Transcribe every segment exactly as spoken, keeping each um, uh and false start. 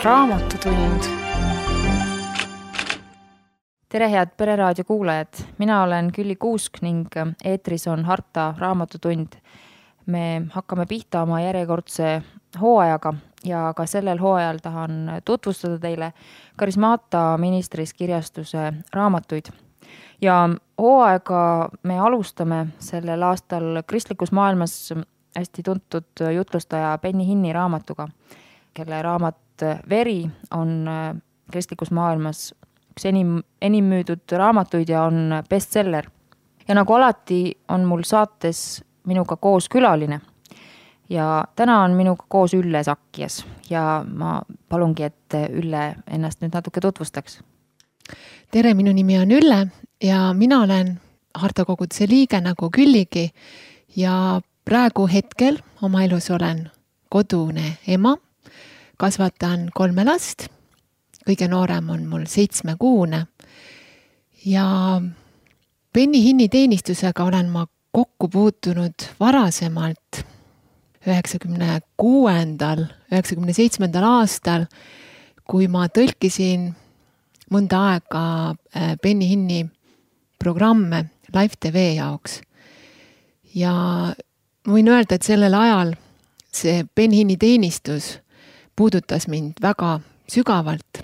Raamatutund. Tere head Pereraadio kuulajad, mina olen Külli Kuusk ning eetris on Harta Raamatutund. Me hakkame pihta oma järjekordse hooajaga ja ka sellel hooajal tahan tutvustada teile Karismaata ministris kirjastuse raamatuid. Ja hooaega me alustame sellel aastal kristlikus maailmas hästi tuntud jutlustaja Benny Hinni raamatuga, kelle raamat Veri on kristlikus maailmas üks enim, enim müüdud raamatuid ja on bestseller. Ja nagu alati on mul saates minuga koos külaline. Ja täna on minuga koos Ülle Sakkias ja ma palungi, et Ülle ennast nüüd natuke tutvustaks. Tere, minu nimi on Ülle ja mina olen Harta koguduse liige nagu Külligi ja praegu hetkel oma elus olen kodune ema. Kasvatan kolme last, kõige noorem on mul seitsmekuune ja Benny Hinni teenistusega olen ma kokku puutunud varasemalt üheksakümne kuuendal, üheksakümne seitsmendal aastal, kui ma tõlkisin mõnda aega Benny Hinni programme Live T V jaoks. Ja võin öelda, et sellel ajal see Benny Hinni teenistus puudutas mind väga sügavalt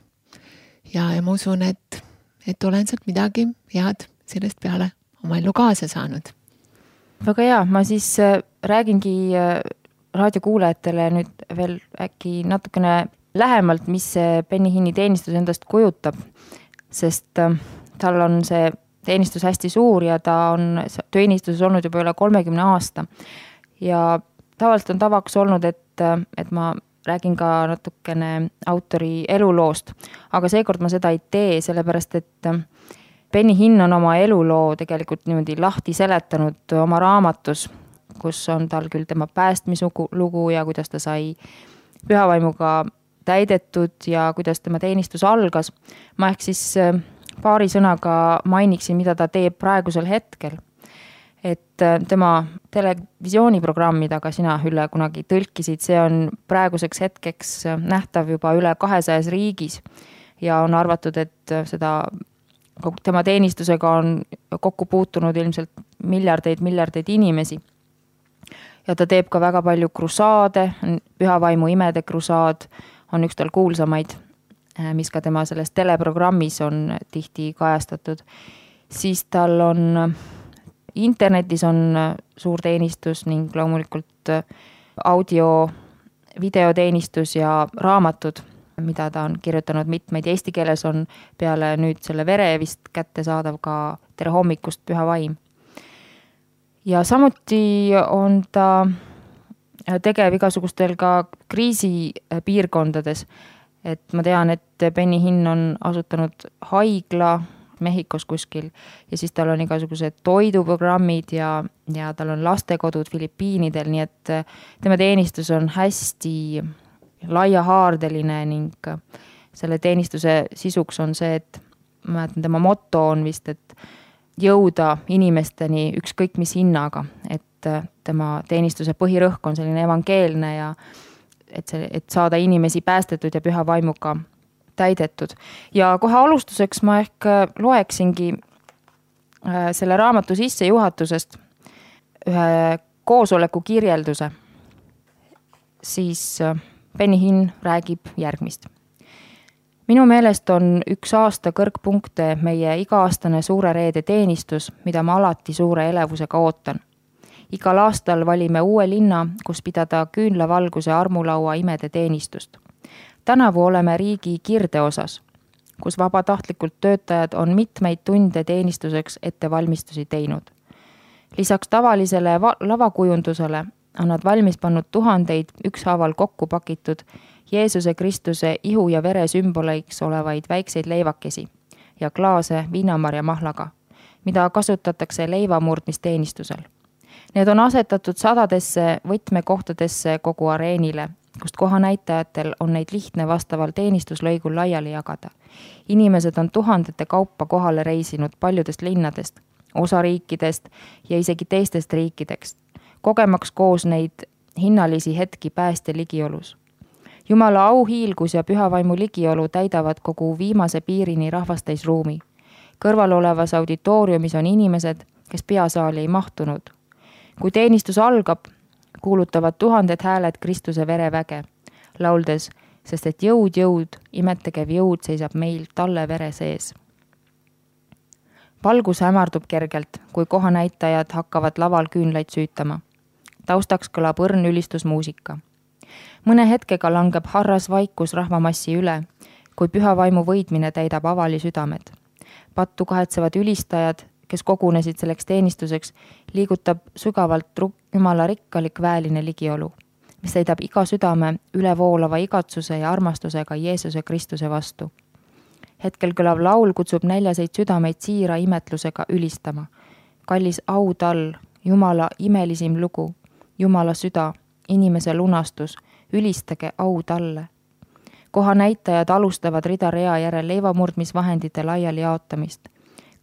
ja, ja ma usun, et, et olen sealt midagi head sellest peale oma ellu kaasa saanud. Väga hea, ma siis räägingi raadiokuulajatele nüüd veel äkki natukene lähemalt, mis see Benny Hinni teenistus endast kujutab, sest tal on see teenistus hästi suur ja ta on teenistuses olnud juba üle kolmekümne aasta. Ja tavaliselt on tavaks olnud, et, et ma räägin ka natukene autori eluloost, aga seekord ma seda ei tee, sellepärast et Benny Hinn on oma eluloo tegelikult niimoodi lahti seletanud oma raamatus, kus on tal küll tema päästmislugu ja kuidas ta sai pühavaimuga täidetud ja kuidas tema teenistus algas. Ma ehk siis paari sõnaga mainiksin, mida ta teeb praegusel hetkel. Et tema televisiooniprogramm, mida ka sina, Ülle, kunagi tõlkisid, see on praeguseks hetkeks nähtav juba üle kahesajas riigis ja on arvatud, et seda tema teenistusega on kokku puutunud ilmselt miljardeid, miljardeid inimesi. Ja ta teeb ka väga palju krusaade, pühavaimu imede krusaad on üks tal kuulsamaid, mis ka tema selles teleprogrammis on tihti kajastatud. Siis tal on internetis on suur teenistus ning loomulikult audio, videoteenistus ja raamatud, mida ta on kirjutanud mitmeid. Eesti keeles on peale nüüd selle Vere vist kätte saadav ka Tere hommikust Püha vaim. Ja samuti on ta tegev igasugustel ka kriisipiirkondades. Et ma tean, et Benny Hinn on asutanud haigla Mehhikos kuskil ja siis tal on igasugused toiduprogrammid ja, ja tal on lastekodud Filipiinidel, nii et tema teenistus on hästi laiahaardeline ning selle teenistuse sisuks on see, et ma mäletan, tema motto on vist, et jõuda inimesteni ükskõik mis hinnaga, et tema teenistuse põhirõhk on selline evangeelne ja et, see, et saada inimesi päästetud ja püha vaimuga täidetud. Ja kohe alustuseks ma ehk loeksingi selle raamatu sissejuhatusest ühe koosoleku kirjelduse. Siis Benny Hinn räägib järgmist. Minu meelest on üks aasta kõrgpunkte meie iga-aastane suure reede teenistus, mida ma alati suure elevusega ootan. Igal aastal valime uue linna, kus pidada küünlavalguse armulaua imede teenistust. Tänavu oleme riigi kirde osas, kus vabatahtlikult töötajad on mitmeid tunde teenistuseks ettevalmistusi teinud. Lisaks tavalisele lavakujundusele on nad valmis pannud tuhandeid ükshaaval kokku pakitud Jeesuse Kristuse ihu ja vere sümboleiks olevaid väikseid leivakesi ja klaase viinamarja mahlaga, mida kasutatakse leivamurdmisteenistusel. Need on asetatud sadadesse võtmekohtadesse kogu areenile, kust kohanäitajatel on neid lihtne vastaval teenistuslõigul laiali jagada. Inimesed on tuhandete kaupa kohale reisinud paljudest linnadest, osariikidest ja isegi teistest riikidest, kogemaks koos neid hinnalisi hetki pääste ligiolus. Jumala auhiilgus ja püha vaimu ligiolu täidavad kogu viimase piirini rahvastäis ruumi. Kõrval olevas auditooriumis on inimesed, kes peasaali ei mahtunud. Kui teenistus algab, kuulutavad tuhanded hääled Kristuse vereväge, lauldes, sest et jõud, jõud, imetegev jõud seisab meil talle vere sees. Valgus hämardub kergelt, kui kohanäitajad hakkavad laval küünlaid süütama. Taustaks kõlab õrn ülistusmuusika. Mõne hetkega langeb harras vaikus rahvamassi üle, kui püha vaimu võidmine täidab avali südamed. Pattu kahetsevad ülistajad, kes kogunesid selleks teenistuseks, liigutab sügavalt Jumala rikkalik väeline ligiolu, mis täidab iga südame ülevoolava igatsuse ja armastusega Jeesuse Kristuse vastu. Hetkel kõlav laul kutsub näljaseid südameid siira imetlusega ülistama. Kallis au tal, Jumala imelisim lugu, Jumala süda, inimese lunastus, ülistage au talle. Koha näitajad alustavad rida rea järel leivamurdmisvahendite laiali jaotamist.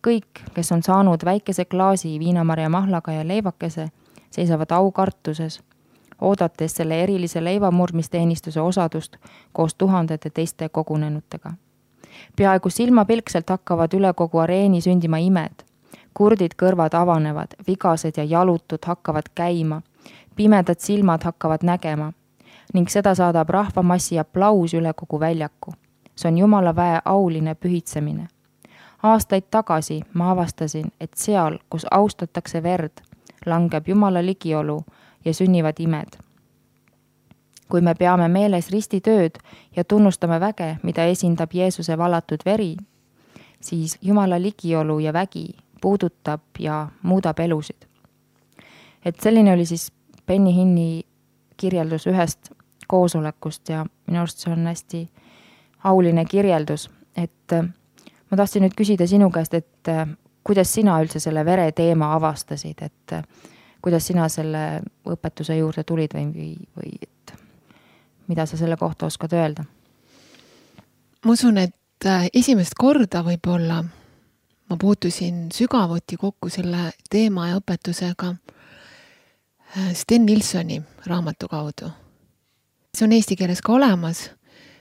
Kõik, kes on saanud väikese klaasi viinamarja mahlaga ja leivakese, seisavad aukartuses, oodates selle erilise leivamurdmisteenistuse osadust koos tuhandete teiste kogunenutega. Peaaegu silmapilkselt hakkavad üle kogu areeni sündima imed. Kurdid kõrvad avanevad, vigased ja jalutud hakkavad käima, pimedad silmad hakkavad nägema ning seda saadab rahvamassi aplaus üle kogu väljaku. See on Jumala väe auline pühitsemine. Aastaid tagasi ma avastasin, et seal, kus austatakse verd, langeb Jumala ligiolu ja sünnivad imed. Kui me peame meeles ristitööd ja tunnustame väge, mida esindab Jeesuse valatud veri, siis Jumala ligiolu ja vägi puudutab ja muudab elusid. Et selline oli siis Benny Hinni kirjeldus ühest koosolekust ja minu arust see on hästi auline kirjeldus, et ma tahtsin nüüd küsida sinu käest, et kuidas sina üldse selle vere teema avastasid, et kuidas sina selle õpetuse juurde tulid või, või, või et mida sa selle kohta oskad öelda? Ma usun, et esimest korda võib-olla ma puutusin sügavuti kokku selle teema ja õpetusega Sten Nilssoni raamatu kaudu. See on eesti keeles ka olemas,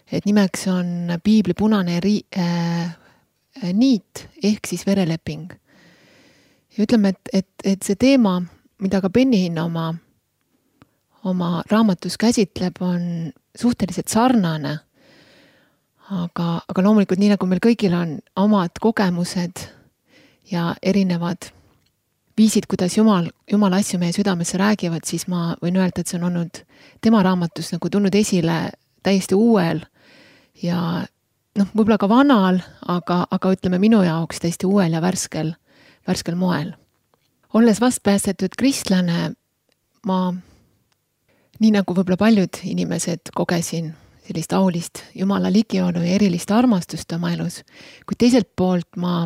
et nimeks on Piibli punane ri- äh, niit ehk siis vereleping. Ja ütleme, et, et, et see teema, mida ka Benny Hinn oma, oma raamatus käsitleb, on suhteliselt sarnane. Aga, aga loomulikult nii nagu meil kõigil on omad kogemused ja erinevad viisid, kuidas Jumal, Jumal asju meie südamesse räägivad, siis ma võin öelda, et see on olnud tema raamatus nagu tulnud esile täiesti uuel ja noh, võib-olla ka vanal, aga, aga ütleme minu jaoks täiesti uuel ja värskel, värskel moel. Olles vastpäästetud kristlane, ma nii nagu võib-olla paljud inimesed kogesin sellist aulist Jumala ligiolu ja erilist armastust oma elus, kuid teiselt poolt ma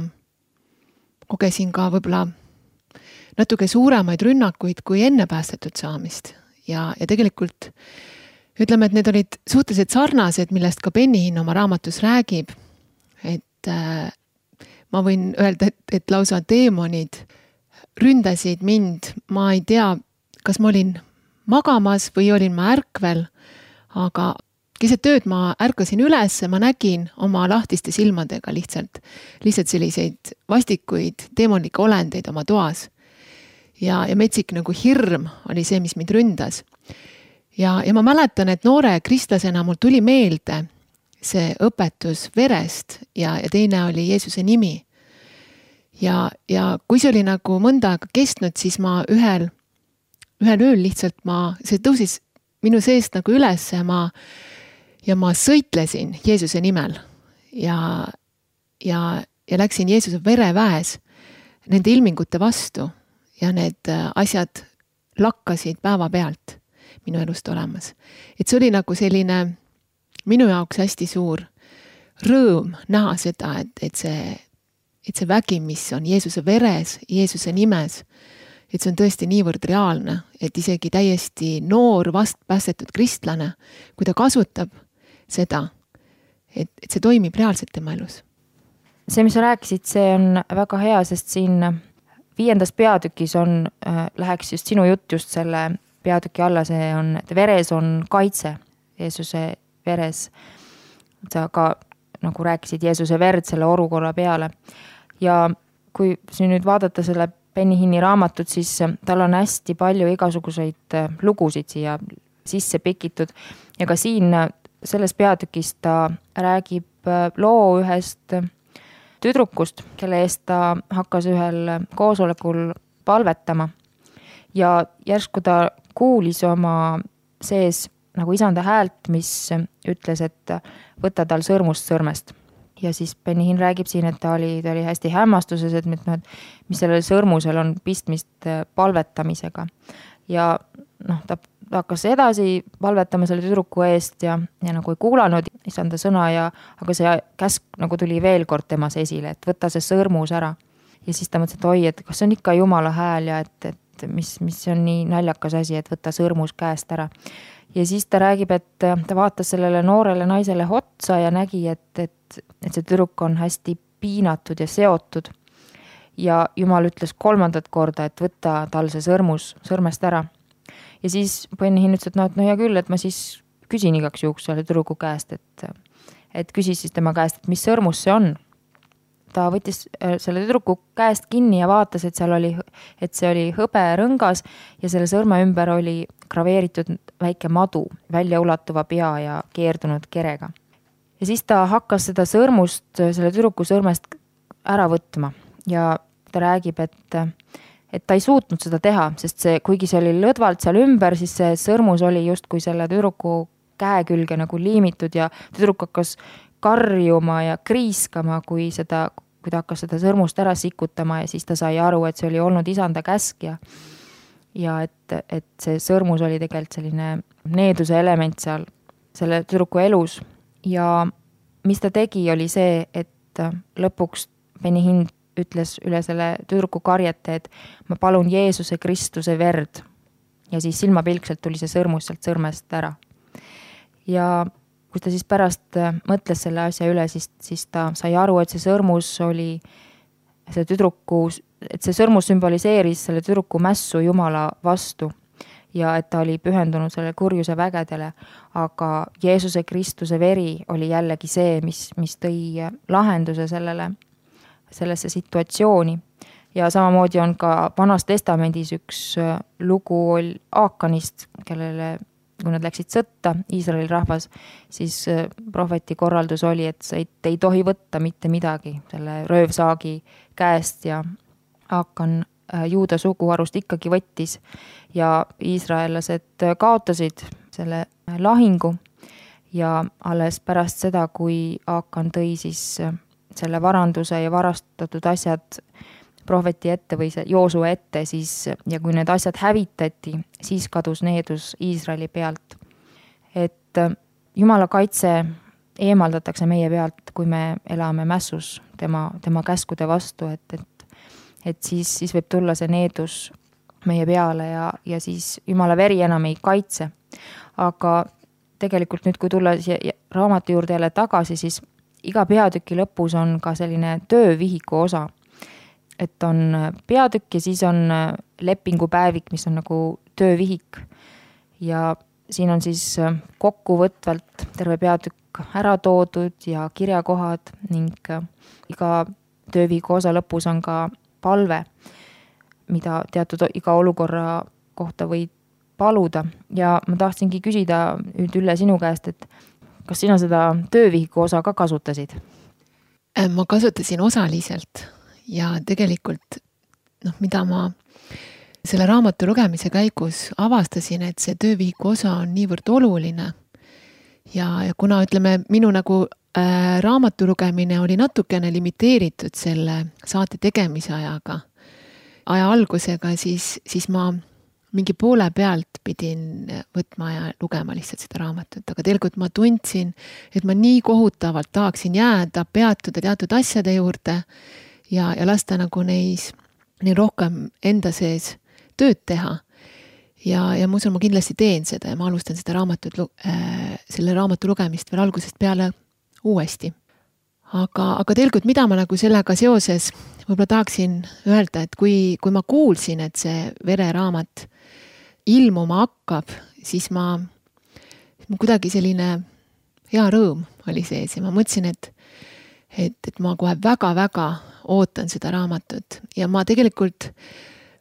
kogesin ka võib-olla natuke suuremaid rünnakuid kui enne päästetud saamist ja, ja tegelikult ütleme, et need olid suhteliselt sarnased, millest ka Benny Hinn oma raamatus räägib, et äh, ma võin öelda, et, et lausa teemonid ründasid mind, ma ei tea, kas ma olin magamas või olin ma ärkvel, aga keset tööd ma ärkasin üles, ma nägin oma lahtiste silmadega lihtsalt, lihtsalt selliseid vastikuid teemonlikke olendeid oma toas. Ja, ja metsik nagu hirm oli see, mis mind ründas. Ja, ja ma mäletan, et noore kristlasena mul tuli meelde see õpetus verest ja, ja teine oli Jeesuse nimi. Ja, ja kui see oli nagu mõnda aega kestnud, siis ma ühel, ühel ööl lihtsalt ma, see tõusis minu seest nagu üles ja ma, ja ma sõitlesin Jeesuse nimel ja, ja, ja läksin Jeesuse vereväes nende ilmingute vastu. Ja need asjad lakkasid päeva pealt minu elust olemas. Et see oli nagu selline minu jaoks hästi suur rõõm näha seda, et, et, see, et see vägi, mis on Jeesuse veres, Jeesuse nimes, et see on tõesti niivõrd reaalne, et isegi täiesti noor vastpäästetud kristlane, kui ta kasutab seda, et, et see toimib reaalselt tema elus. See, mis sa rääkisid, see on väga hea, sest siin viiendas peatükis on, äh, läheks just sinu jutt just selle peatüki alla, see on, et veres on kaitse, Jeesuse veres. sa ka nagu rääkisid Jeesuse verd selle olukorra peale. Ja kui siin nüüd vaadata selle Benny Hinni raamatut, siis tal on hästi palju igasuguseid lugusid siia sisse pikitud ja ka siin selles peatükis ta räägib loo ühest tüdrukust, kelle eest ta hakkas ühel koosolekul palvetama ja järsku ta kuulis oma sees nagu isanda häält, mis ütles, et võta tal sõrmust sõrmest. Ja siis Benny Hinn räägib siin, et ta oli, ta oli hästi hämmastuses, et mis sellel sõrmusel on pistmist palvetamisega. Ja noh, ta, ta hakkas edasi palvetama selle tüdruku eest ja, ja nagu ei kuulanud isanda sõna, ja, aga see käsk nagu tuli veel kord temas esile, et võta see sõrmus ära. Ja siis ta mõtles, et oi, et kas see on ikka Jumala hääl ja et, et mis, mis on nii naljakas asi, et võta sõrmus käest ära. Ja siis ta räägib, et ta vaatas sellele noorele naisele otsa ja nägi, et, et, et see tüdruk on hästi piinatud ja seotud. Ja Jumal ütles kolmandat korda, et võtta tal see sõrmus sõrmest ära. Ja siis Benny Hinn ütles, et no, et no hea küll, et ma siis küsin igaks juhuks selle tüdruku käest, et, et küsis siis tema käest, et mis sõrmus see on. Ta võttis selle tüdruku käest kinni ja vaatas, et seal oli, et see oli hõberõngas ja selle sõrme ümber oli graveeritud väike madu, välja ulatuva pea ja keerdunud kerega. Ja siis ta hakkas seda sõrmust, selle tüdruku sõrmest ära võtma ja ta räägib, et, et ta ei suutnud seda teha, sest see, kuigi see oli lõdvalt seal ümber, siis see sõrmus oli just kui selle tüdruku käe külge nagu liimitud ja tüdruk hakkas karjuma ja kriiskama, kui seda, kui ta hakkas seda sõrmust ära sikutama ja siis ta sai aru, et see oli olnud isanda käsk ja, ja et, et see sõrmus oli tegelikult selline needuse element seal selle tüdruku elus. Ja mis ta tegi, oli see, et lõpuks Benny Hinn ütles üle selle tüdruku karjete, et ma palun Jeesuse Kristuse verd. Ja siis silmapilkselt tuli see sõrmus sealt sõrmest ära. Ja kui ta siis pärast mõtles selle asja üle, siis, siis ta sai aru, et see sõrmus oli see tüdruku, et see sõrmus sümboliseeris selle tüdruku mässu Jumala vastu ja et ta oli pühendunud selle kurjuse vägedele, aga Jeesuse Kristuse veri oli jällegi see, mis, mis tõi lahenduse sellele, sellesse situatsiooni. Ja samamoodi on ka Vanas testamendis üks lugu Aakanist, kellele kui nad läksid sõtta, Iisraeli rahvas, siis prohveti korraldus oli, et sa ei, ei tohi võtta mitte midagi selle röövsaagi käest ja Aakan juuda suguharust ikkagi võttis ja iisraellased kaotasid selle lahingu ja alles pärast seda, kui Aakan tõi siis selle varanduse ja varastatud asjad prohveti ette või see Joosue ette, siis, ja kui need asjad hävitati, siis kadus needus Iisraeli pealt. Et Jumala kaitse eemaldatakse meie pealt, kui me elame mässus tema, tema käskude vastu, et, et, et siis, siis võib tulla see needus meie peale ja, ja siis Jumala veri enam ei kaitse. Aga tegelikult nüüd, kui tulla siia raamatu juurde jälle tagasi, siis iga peatüki lõpus on ka selline töövihiku osa. Et on peatükk ja siis on lepingupäevik, mis on nagu töövihik. Ja siin on siis kokkuvõtvalt terve peatükk ära toodud ja kirjakohad ning iga töövihiku osa lõpus on ka palve, mida teatud iga olukorra kohta võid paluda. Ja ma tahtsingi küsida nüüd Ülle sinu käest, et kas sina seda töövihiku osa ka kasutasid? Ma kasutasin osaliselt. Ja tegelikult, noh, mida ma selle raamatu lugemise käigus avastasin, et see töövihiku osa on niivõrd oluline. Ja, ja kuna ütleme, minu nagu äh, raamatu lugemine oli natukene limiteeritud selle saate tegemise ajaga, aja algusega, siis, siis ma mingi poole pealt pidin võtma ja lugema lihtsalt seda raamatut. Aga tegelikult ma tundsin, et ma nii kohutavalt tahaksin jääda, peatuda teatud asjade juurde, ja, ja lasta nagu neis, neil rohkem enda sees tööd teha. Ja, ja ma usun, ma kindlasti teen seda ja ma alustan seda raamatut, äh, selle raamatu lugemist veel algusest peale uuesti. Aga, aga tegelikult, mida ma nagu sellega seoses võib-olla tahaksin öelda, et kui, kui ma kuulsin, et see vereraamat ilmuma hakkab, siis ma, ma kuidagi selline hea rõõm oli sees ja ma mõtlesin, et, et, et ma kohe väga-väga ootan seda raamatut ja ma tegelikult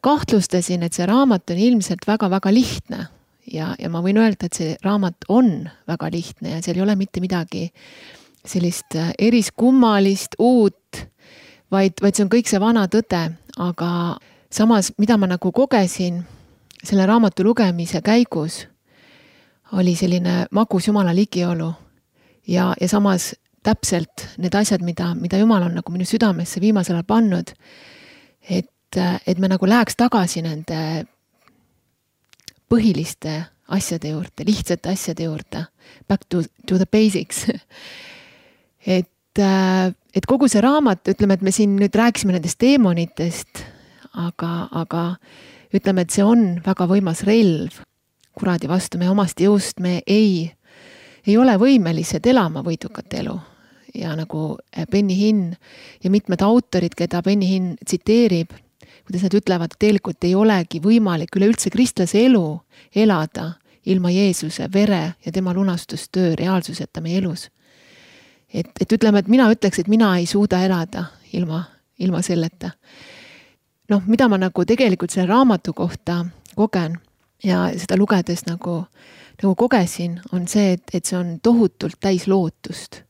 kahtlustasin, et see raamat on ilmselt väga-väga lihtne ja, ja ma võin öelda, et see raamat on väga lihtne ja seal ei ole mitte midagi sellist eriskummalist, uut, vaid, vaid see on kõik see vana tõde, aga samas, mida ma nagu kogesin selle raamatu lugemise käigus, oli selline magus Jumala ligiolu ja, ja samas täpselt need asjad, mida, mida Jumal on nagu minu südamesse viimasel ajal pannud, et, et me nagu läheks tagasi nende põhiliste asjade juurde, lihtsate asjade juurde, back to, to the basics. et, et kogu see raamat, ütleme, et me siin nüüd rääkisime nendest teemonitest, aga, aga ütleme, et see on väga võimas relv kuradi vastu, me omast jõust me ei, ei ole võimelised elama võidukat elu. Ja nagu Benny Hinn ja mitmed autorid, keda Benny Hinn tsiteerib, kuidas nad ütlevad, et tegelikult ei olegi võimalik üleüldse kristlase elu elada ilma Jeesuse vere ja tema lunastustöö reaalsuseta meie elus. Et, et ütleme, et mina ütleks, et mina ei suuda elada ilma, ilma selleta. Noh, mida ma nagu tegelikult selle raamatu kohta kogen ja seda lugedes nagu, nagu kogesin, on see, et, et see on tohutult täis lootust.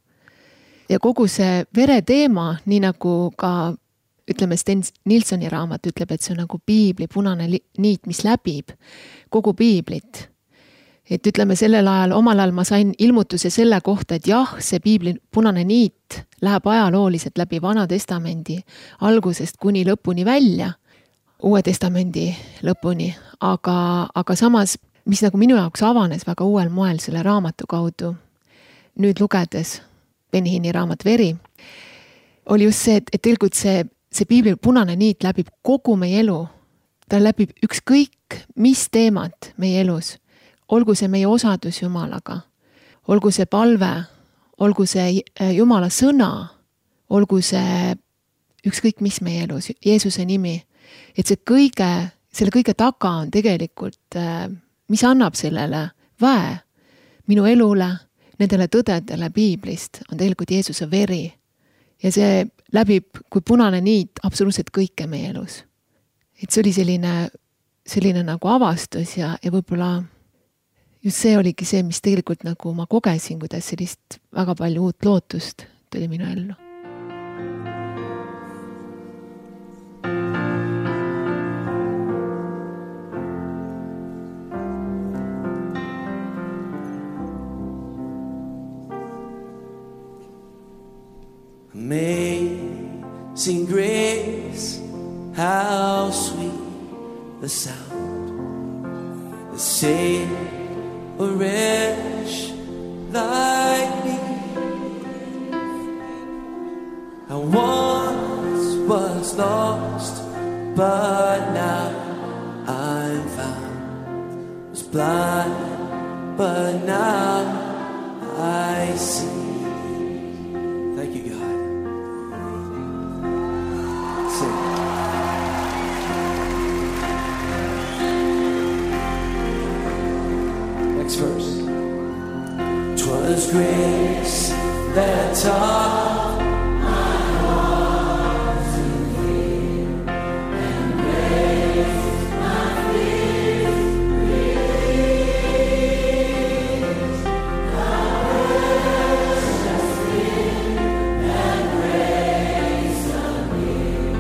Ja kogu see vere teema, nii nagu ka, ütleme, Sten Nilssoni raamat ütleb, et see on nagu piibli punane niit, mis läbib kogu piiblit. Et ütleme, sellel ajal, omal ajal ma sain ilmutuse selle kohta, et jah, see piibli punane niit läheb ajalooliselt läbi Vana Testamendi algusest kuni lõpuni välja, Uue Testamendi lõpuni, aga, aga samas, mis nagu minu jaoks avanes väga uuel moel selle raamatu kaudu, nüüd lugedes Benny Hinni raamat Veri, oli just see, et, et tegelikult see, see piibli punane niit läbib kogu meie elu. Ta läbib ükskõik, mis teemad meie elus. Olgu see meie osadus Jumalaga, olgu see palve, olgu see Jumala sõna, olgu see ükskõik, mis meie elus, Jeesuse nimi. Et see kõige, selle kõige taga on tegelikult, mis annab sellele väe minu elule, nendele tõdedele piiblist, on tegelikult Jeesuse veri. Ja see läbib kui punane niit absoluutselt kõike meie elus. Et see oli selline, selline nagu avastus ja, ja võib-olla just see oligi see, mis tegelikult nagu ma kogesin, kuidas sellist väga palju uut lootust tuli minu ellu. Amazing grace, how sweet the sound that saved a wretch like me. I once was lost, but now I'm found. Was blind, but now I see. Thank you, God. Next verse. 'Twas grace that taught my heart to fear, and grace my fear released. The precious thing that grace appeared,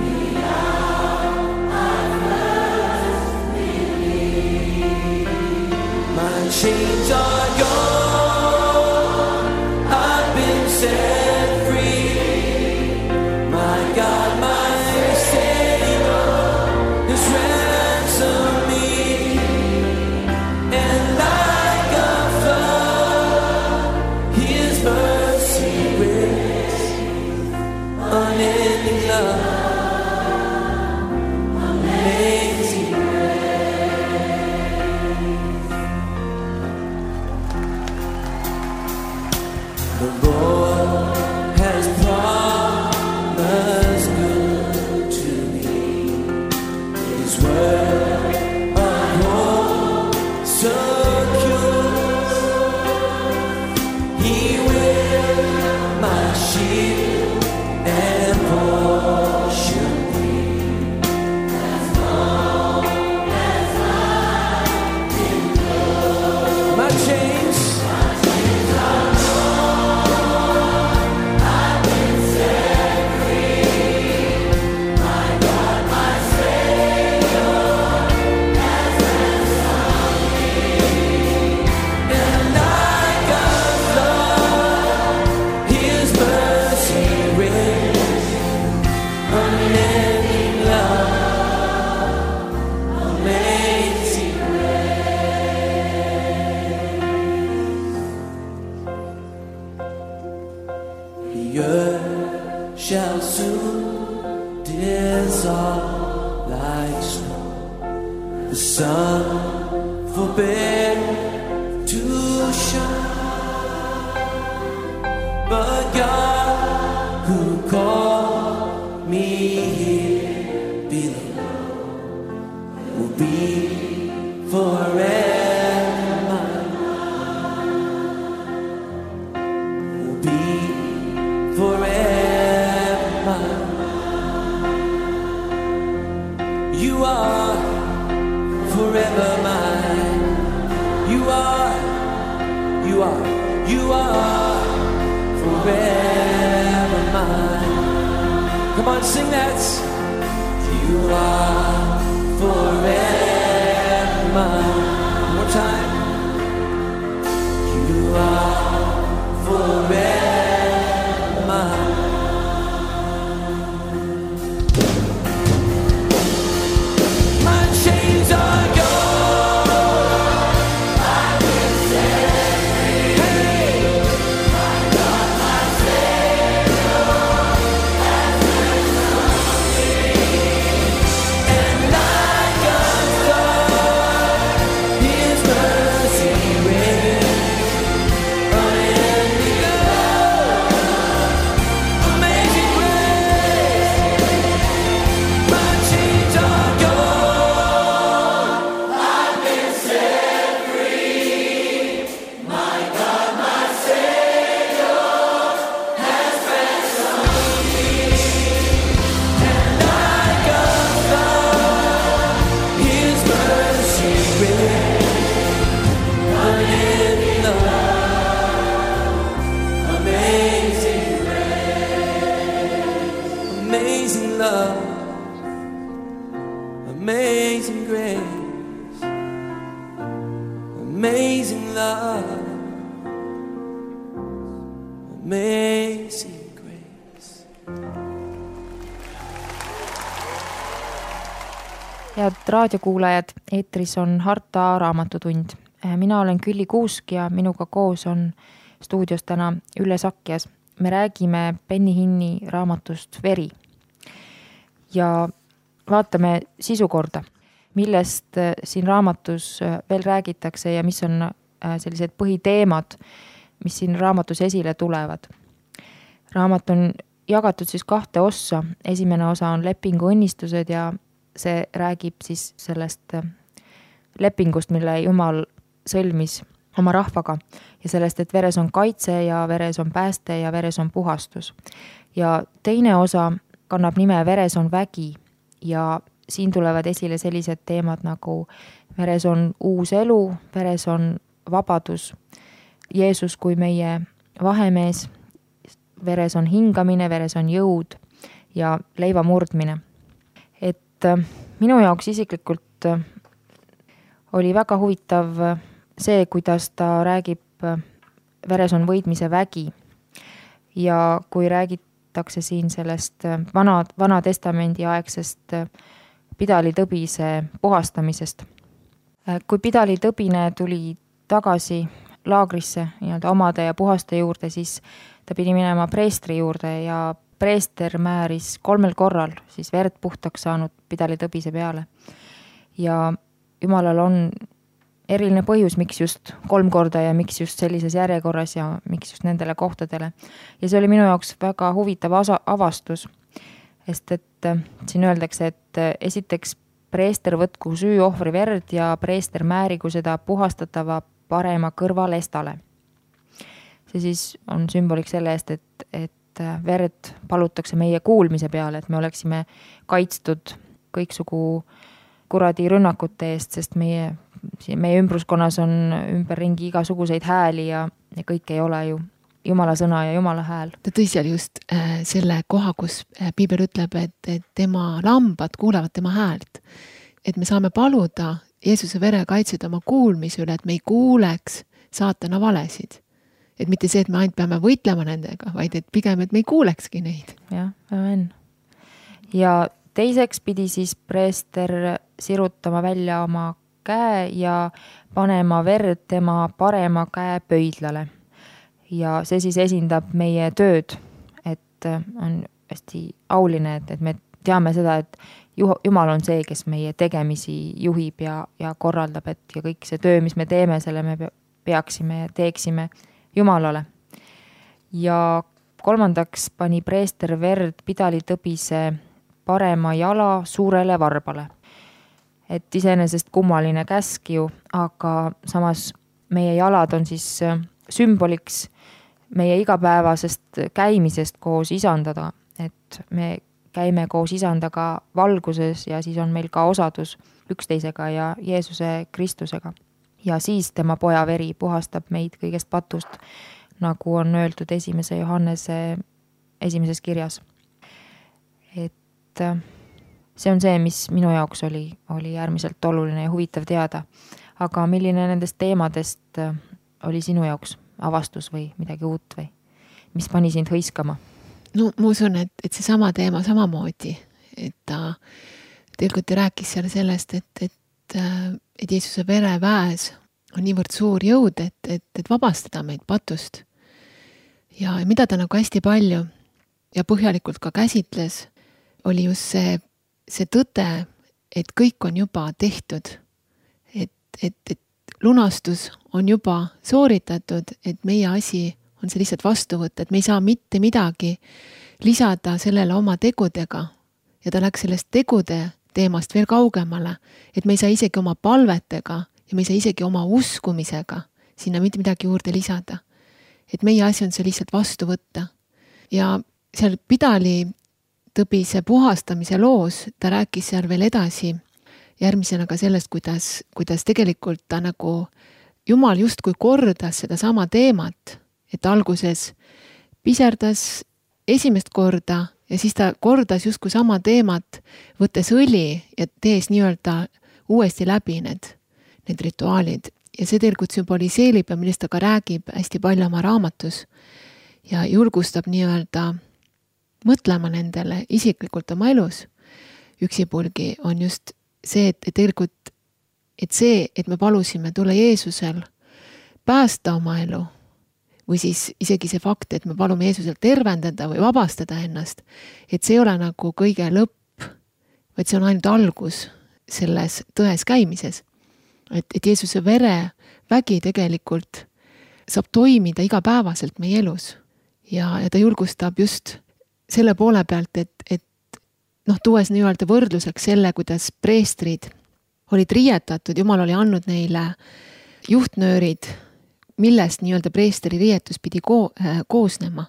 the hour I first believed. My chains are gone, I've been set free. My God, my Savior has ransomed me. And like a flood, His mercy grace, unending love, amazing the Lord has promised good to me. His word of hope secures. soon dissolve like snow. The sun forbid to shine, but God who called me here below will be forever mine, will be forever mine. You are forever mine. You are, you are, you are forever mine. Come on, sing that. You are forever mine. One more time. You are forever mine. My chains are gone. I've been set free. Hey. My God, my Savior has ransomed me. And like a star, His mercy reigns. Unending love, amazing grace. My chains are gone. I've been set free. My God, my Savior has ransomed me. And like a star, His mercy reigns. Unending love, amazing grace. Amazing love, amazing grace. Amazing love, amazing grace. Head raadiokuulajad, eetris on Harta raamatutund. Mina olen Külli Kuusk ja minuga koos on stuudios täna Ülle Sakjas. Me räägime Benny Hinni raamatust Veri ja vaatame sisukorda, millest siin raamatus veel räägitakse ja mis on sellised põhiteemad, mis siin raamatus esile tulevad. Raamat on jagatud siis kahte ossa. Esimene osa on lepingu õnnistused ja see räägib siis sellest lepingust, mille Jumal sõlmis oma rahvaga ja sellest, et veres on kaitse ja veres on pääste ja veres on puhastus. Ja teine osa kannab nime Veres on vägi ja siin tulevad esile sellised teemad nagu veres on uus elu, veres on vabadus, Jeesus kui meie vahemees, veres on hingamine, veres on jõud ja leiva murdmine. Et minu jaoks isiklikult oli väga huvitav see, kuidas ta räägib veres on võitmise vägi ja kui räägitakse siin sellest vana, vana testamendi aegsest Pidali tõbise puhastamisest. Kui Pidali tõbine tuli tagasi laagrisse nii-öelda omade ja puhaste juurde, siis ta pidi minema preestri juurde ja preester määris kolmel korral siis verd puhtaks saanud Pidali tõbise peale. Ja Jumalal on eriline põhjus, miks just kolm korda ja miks just sellises järjekorras ja miks just nendele kohtadele. Ja see oli minu jaoks väga huvitav avastus, sest et siin öeldakse, et esiteks preester võtku süüohvri verd ja preester määrigu seda puhastatava parema kõrvalestale. See siis on sümboliks selle eest, et, et verd palutakse meie kuulmise peale, et me oleksime kaitstud kõiksugu kuradi rünnakute eest, sest meie, meie ümbruskonnas on ümberringi igasuguseid hääli ja, ja kõik ei ole ju Jumala sõna ja Jumala hääl. Ta tõi seal just äh, selle koha, kus äh, Piibel ütleb, et, et tema lambad kuulevad tema häält. Et me saame paluda Jeesuse vere kaitseda oma kuulmise üle, et me ei kuuleks saatana valesid. Et mitte see, et me ainult peame võitlema nendega, vaid et pigem, et me ei kuulekski neid. Jah, amen. Ja teiseks pidi siis preester sirutama välja oma käe ja panema verd tema parema käe pöidlale. Ja see siis esindab meie tööd, et on hästi auline, et, et me teame seda, et Jumal on see, kes meie tegemisi juhib ja, ja korraldab, et ja kõik see töö, mis me teeme, selle me peaksime ja teeksime Jumalale. Ja kolmandaks pani preester verd pidalitõbise parema jala suurele varbale. Et iseenesest kummaline käsk ju, aga samas meie jalad on siis sümboliks meie igapäevasest käimisest koos isandaga, et me käime koos isandaga valguses ja siis on meil ka osadus üksteisega ja Jeesuse Kristusega. Ja siis tema poja veri puhastab meid kõigest patust, nagu on öeldud esimese Johannese esimeses kirjas. Et see on see, mis minu jaoks oli, oli äärmiselt oluline ja huvitav teada. Aga milline nendest teemadest oli sinu jaoks avastus või midagi uut või mis pani sind hõiskama? No ma usun, et, et see sama teema samamoodi, et ta tegelikult rääkis seal sellest, et, et, et Jeesuse vere väes on niivõrd suur jõud, et, et, et vabastada meid patust. Ja mida ta nagu hästi palju ja põhjalikult ka käsitles, oli just see, see tõde, et kõik on juba tehtud, et, et, et lunastus on juba sooritatud, et meie asi on see lihtsalt vastu võtta, et me ei saa mitte midagi lisada sellele oma tegudega ja ta läks sellest tegude teemast veel kaugemale, et me ei saa isegi oma palvetega ja me ei saa isegi oma uskumisega sinna mitte midagi juurde lisada. Et meie asi on see lihtsalt vastu võtta. Ja seal pidali tõbise puhastamise loos ta rääkis seal veel edasi järgmisena ka sellest, kuidas, kuidas tegelikult ta nagu Jumal justkui kordas seda sama teemat, et alguses piserdas esimest korda ja siis ta kordas justkui sama teemat, võttes õli ja tees nii-öelda uuesti läbi need, need rituaalid. Ja see tegelikult sümboliseerib ja millest ta ka räägib hästi palju oma raamatus ja julgustab nii-öelda mõtlema nendele isiklikult oma elus. Üksipulgi on just see, et, et tegelikult, et see, et me palusime tule Jeesusel päästa oma elu, või siis isegi see fakt, et me palume Jeesusel tervendada või vabastada ennast, et see ei ole nagu kõige lõpp, vaid see on ainult algus selles tões käimises. Et, et Jeesuse vere vägi tegelikult saab toimida igapäevaselt meie elus ja, ja ta julgustab just selle poole pealt, et, et noh, tuues nii-öelda võrdluseks selle, kuidas preestrid olid riietatud, Jumal oli andnud neile juhtnöörid, millest nii-öelda preesteri riietus pidi ko- äh, koosnema.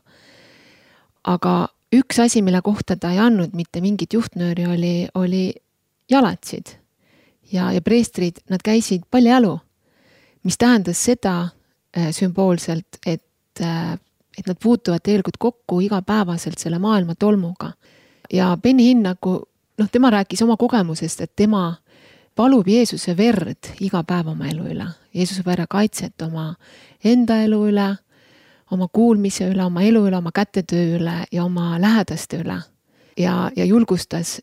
Aga üks asi, mille kohta ta ei andnud mitte mingit juhtnööri, oli, oli jalatsid. Ja, ja preestrid, nad käisid paljajalu, mis tähendas seda äh, sümboolselt, et, äh, et nad puutuvad tegelikult kokku igapäevaselt selle maailma tolmuga. Ja Benny Hinn nagu, noh, tema rääkis oma kogemusest, et tema palub Jeesuse verd iga päev oma elu üle. Jeesuse vere kaitset oma enda elu üle, oma kuulmise üle, oma elu üle, oma kätetöö üle ja oma lähedaste üle. Ja, ja julgustas,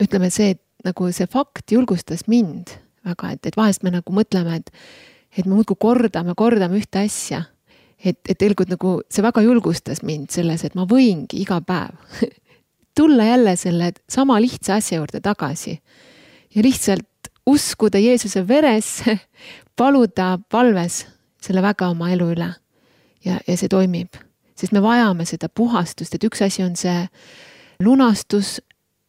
ütleme see, et nagu see fakt julgustas mind väga, et, et vahest me nagu mõtleme, et, et me muudkui kordame, kordame ühte asja. Et, et tegelikult nagu see väga julgustas mind selles, et ma võingi iga päev tulla jälle selle sama lihtsa asja juurde tagasi ja lihtsalt uskuda Jeesuse veresse, paluda palves selle väga oma elu üle ja, ja see toimib. Sest me vajame seda puhastust, et üks asi on see lunastus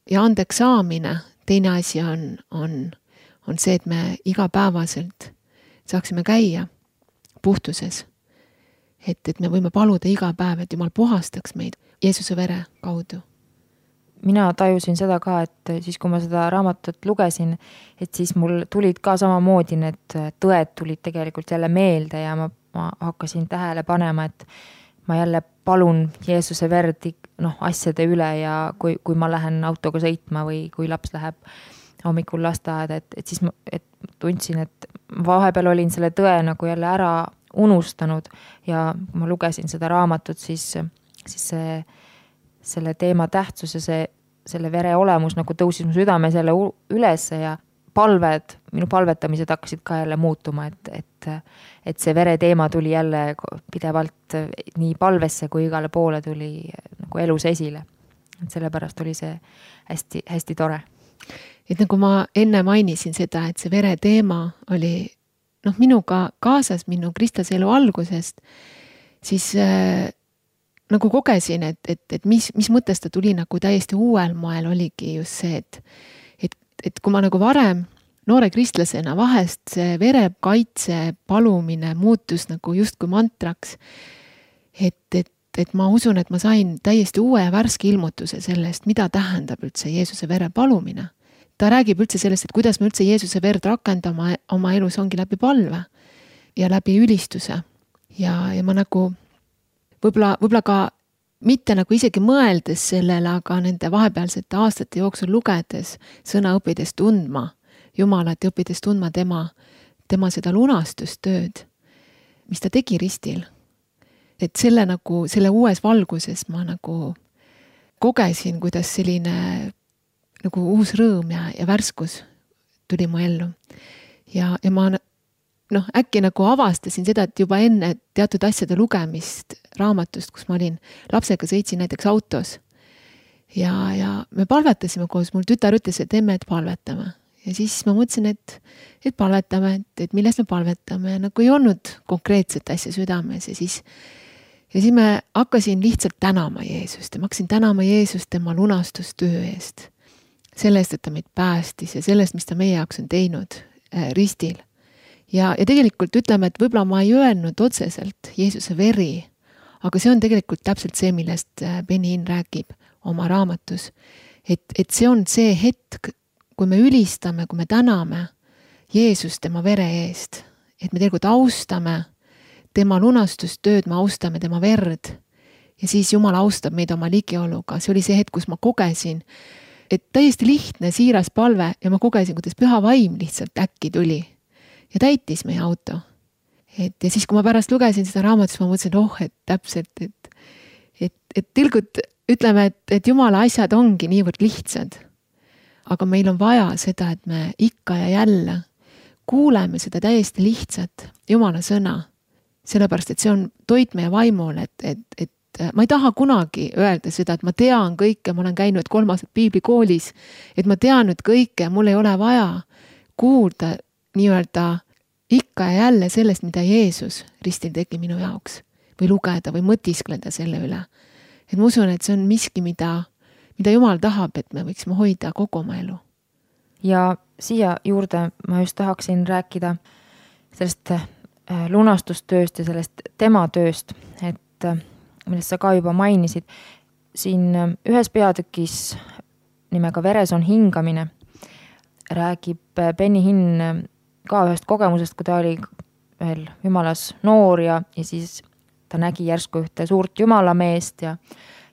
ja andeks saamine, teine asi on, on, on see, et me igapäevaselt saaksime käia puhtuses. Et, et me võime paluda iga päev, et Jumal puhastaks meid Jeesuse vere kaudu. Mina tajusin seda ka, et siis kui ma seda raamatut lugesin, et siis mul tulid ka samamoodi need tõed tulid tegelikult jälle meelde ja ma, ma hakkasin tähele panema, et ma jälle palun Jeesuse verd noh, asjade üle ja kui, kui ma lähen autoga sõitma või kui laps läheb hommikul lasteaeda, et, et siis ma et tundsin, et vahepeal olin selle tõe nagu jälle ära unustanud ja kui ma lugesin seda raamatut, siis, siis see selle teema tähtsus ja see, selle vere olemus nagu tõusis mu südames jälle üles ja palved, minu palvetamised hakkasid ka jälle muutuma, et, et, et see vere teema tuli jälle pidevalt nii palvesse kui igale poole tuli nagu elus esile. et sellepärast oli see hästi, hästi tore. Et nagu ma enne mainisin seda, et see vere teema oli noh, minuga kaasas minu kristlase elu algusest, siis äh, nagu kogesin, et, et, et mis, mis mõttes ta tuli nagu täiesti uuel moel oligi just see, et, et, et kui ma nagu varem noore kristlasena vahest see verekaitse palumine muutus nagu justkui mantraks, et, et, et ma usun, et ma sain täiesti uue ja värske ilmutuse sellest, mida tähendab üldse Jeesuse vere palumine. Ta räägib üldse sellest, et kuidas me üldse Jeesuse verd rakendama oma elus ongi läbi palve ja läbi ülistuse. Ja, ja ma nagu võib-olla, võib-olla ka mitte nagu isegi mõeldes sellele, aga nende vahepealsete aastate jooksul lugedes, sõna õppides tundma Jumalat ja õppides tundma tema, tema seda lunastustööd, mis ta tegi ristil. Et selle nagu, selle uues valguses ma nagu kogesin, kuidas selline nagu uus rõõm ja, ja värskus tuli mu ellu. Ja, ja ma noh, äkki nagu avastasin seda, et juba enne teatud asjade lugemist raamatust, kus ma olin lapsega, sõitsin näiteks autos. Ja, ja me palvetasime koos, mul tütar ütles, et emme, et palvetame. Ja siis ma mõtlesin, et, et palvetame, et, et millest me palvetame. Nagu ei olnud konkreetset asja südames ja siis Ja siis me hakkasin lihtsalt tänama Jeesust ja ma hakkasin tänama Jeesust tema lunastustöö eest. Sellest, et ta meid päästis ja sellest, mis ta meie jaoks on teinud äh, ristil. Ja, ja tegelikult ütleme, et võib-olla ma ei öelnud otseselt Jeesuse veri, aga see on tegelikult täpselt see, millest Benny Hinn räägib oma raamatus. Et, et see on see hetk, kui me ülistame, kui me täname Jeesust tema vere eest, et me tegelikult austame tema lunastustööd, me austame tema verd ja siis Jumal austab meid oma ligioluga. See oli see hetk, kus ma kogesin, et täiesti lihtne, siiras palve ja ma kogesin, kuidas püha vaim lihtsalt äkki tuli ja täitis meie auto. Et, ja siis, kui ma pärast lugesin seda raamatust, ma mõtlesin, oh, et täpselt, et, et, et tilgud ütleme, et, et Jumala asjad ongi niivõrd lihtsad. Aga meil on vaja seda, et me ikka ja jälle kuuleme seda täiesti lihtsat Jumala sõna. Sellepärast, et see on toit meie vaimul, et, et, et ma ei taha kunagi öelda seda, et ma tean kõike, ma olen käinud kolmased piiblikoolis, et ma tean nüüd kõike, mul ei ole vaja kuulda nii-öelda ikka ja jälle sellest, mida Jeesus ristil tegi minu jaoks või lugeda või mõtiskleda selle üle. Et ma usun, et see on miski, mida, mida Jumal tahab, et me võiksime hoida kogu oma elu. Ja siia juurde ma just tahaksin rääkida sellest lunastustööst ja sellest tema tööst, et millest sa ka juba mainisid. Siin ühes peatükis nimega Veres on hingamine räägib Benny Hinn ka ühest kogemusest, kui ta oli veel Jumalas noor ja, ja siis ta nägi järsku ühte suurt Jumalameest ja,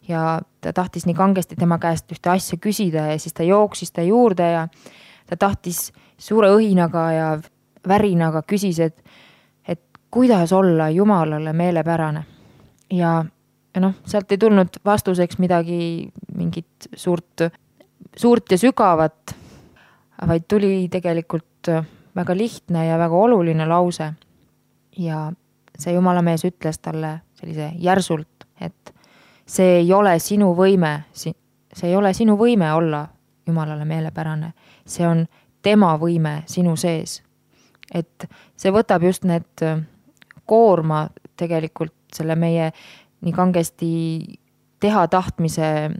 ja ta tahtis nii kangesti tema käest ühte asja küsida ja siis ta jooksis ta juurde ja ta tahtis suure õhinaga ja värinaga küsis, et kuidas olla Jumalale meelepärane. Ja, ja noh, sealt ei tulnud vastuseks midagi, mingit suurt, suurt ja sügavat, vaid tuli tegelikult väga lihtne ja väga oluline lause. Ja see Jumalamees ütles talle sellise järsult, et see ei ole sinu võime, see ei ole sinu võime olla Jumalale meelepärane. See on tema võime sinu sees. Et see võtab just need koorma tegelikult selle meie nii kangesti teha tahtmise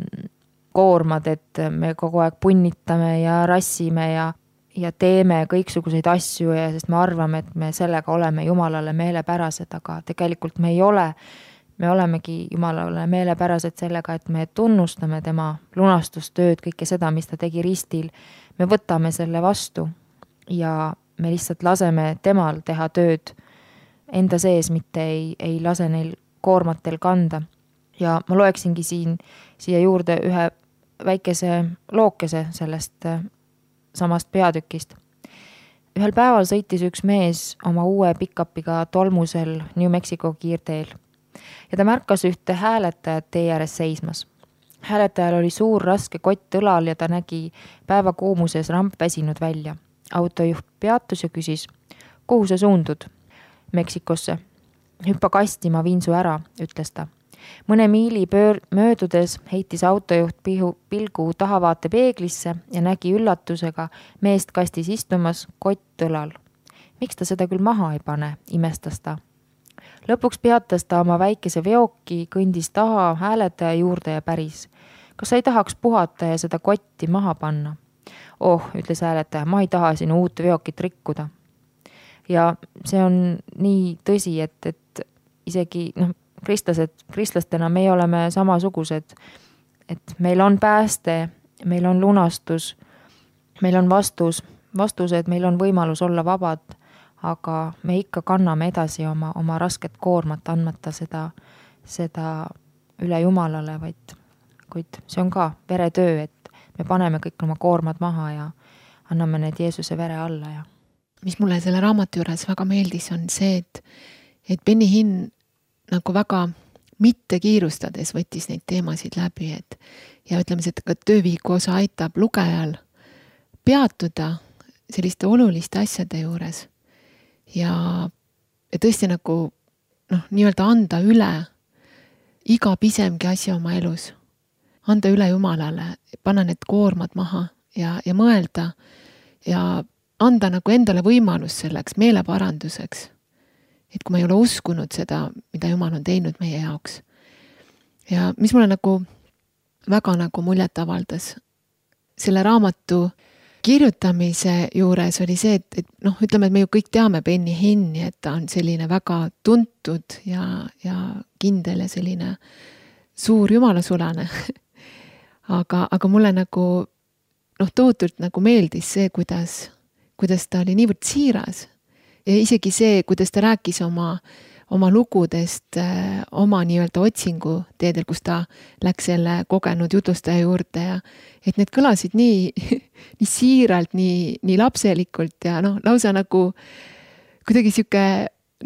koormad, et me kogu aeg punnitame ja rassime ja, ja teeme kõiksuguseid asju ja sest me arvame, et me sellega oleme Jumalale meelepärased, aga tegelikult me ei ole. Me olemegi Jumalale meelepärased sellega, et me tunnustame tema lunastustööd, kõike seda, mis ta tegi ristil. Me võtame selle vastu ja me lihtsalt laseme temal teha tööd enda sees, mitte ei, ei lase neil koormatel kanda. Ja ma loeksingi siin, siia juurde ühe väikese lookese sellest samast peatükist. Ühel päeval sõitis üks mees oma uue pick-upiga tolmusel New Mexico kiirteel ja ta märkas ühte hääletajat tee ääres seismas. Hääletajal oli suur raske kott õlal ja ta nägi päeva kuumuses ramp väsinud välja. Autojuht peatus ja küsis, kuhu sa suundud? Meksikosse. Hüppa kasti, ma viin su ära, ütles ta. Mõne miili pöör- möödudes heitis autojuht pihu, pilgu tahavaate peeglisse ja nägi üllatusega meest kastis istumas kott õlal. Miks ta seda küll maha ei pane, imestas ta. Lõpuks peatas ta oma väikese veoki, kõndis taha hääletaja juurde ja päris. Kas sa ei tahaks puhata ja seda kotti maha panna? Oh, ütles hääletaja, ma ei taha sinu uut veokit rikkuda. Ja see on nii tõsi, et, et isegi noh, kristlased, kristlastena me oleme samasugused, et meil on pääste, meil on lunastus, meil on vastus, vastused, meil on võimalus olla vabad, aga me ikka kanname edasi oma, oma rasket koormat, andmata seda, seda üle Jumalale, vaid kuid see on ka veretöö, et me paneme kõik oma koormad maha ja anname need Jeesuse vere alla. Ja. Mis mulle selle raamatu juures väga meeldis, on see, et, et Benny Hinn nagu väga mitte kiirustades võttis neid teemasid läbi, et ja ütleme, et ka töövihiku osa aitab lugejal peatuda selliste oluliste asjade juures ja, ja tõesti nagu noh, nii-öelda anda üle iga pisemgi asja oma elus, anda üle Jumalale, panna need koormad maha ja, ja mõelda ja anda nagu endale võimalus selleks meeleparanduseks. Et kui ma ei ole uskunud seda, mida Jumal on teinud meie jaoks. Ja mis mulle nagu väga nagu muljet avaldas selle raamatu kirjutamise juures oli see, et, et noh, ütleme, et me ju kõik teame Benny Hinni, et ta on selline väga tuntud ja, ja kindel ja selline suur jumalasulane. aga, aga mulle nagu noh, tohutult nagu meeldis see, kuidas, kuidas ta oli niivõrd siiras. Ja isegi see, kuidas ta rääkis oma, oma lugudest, oma nii-öelda otsingu teedel, kus ta läks selle kogenud jutustaja juurde ja et need kõlasid nii, nii siiralt, nii, nii lapselikult ja noh, lausa nagu kuidagi siuke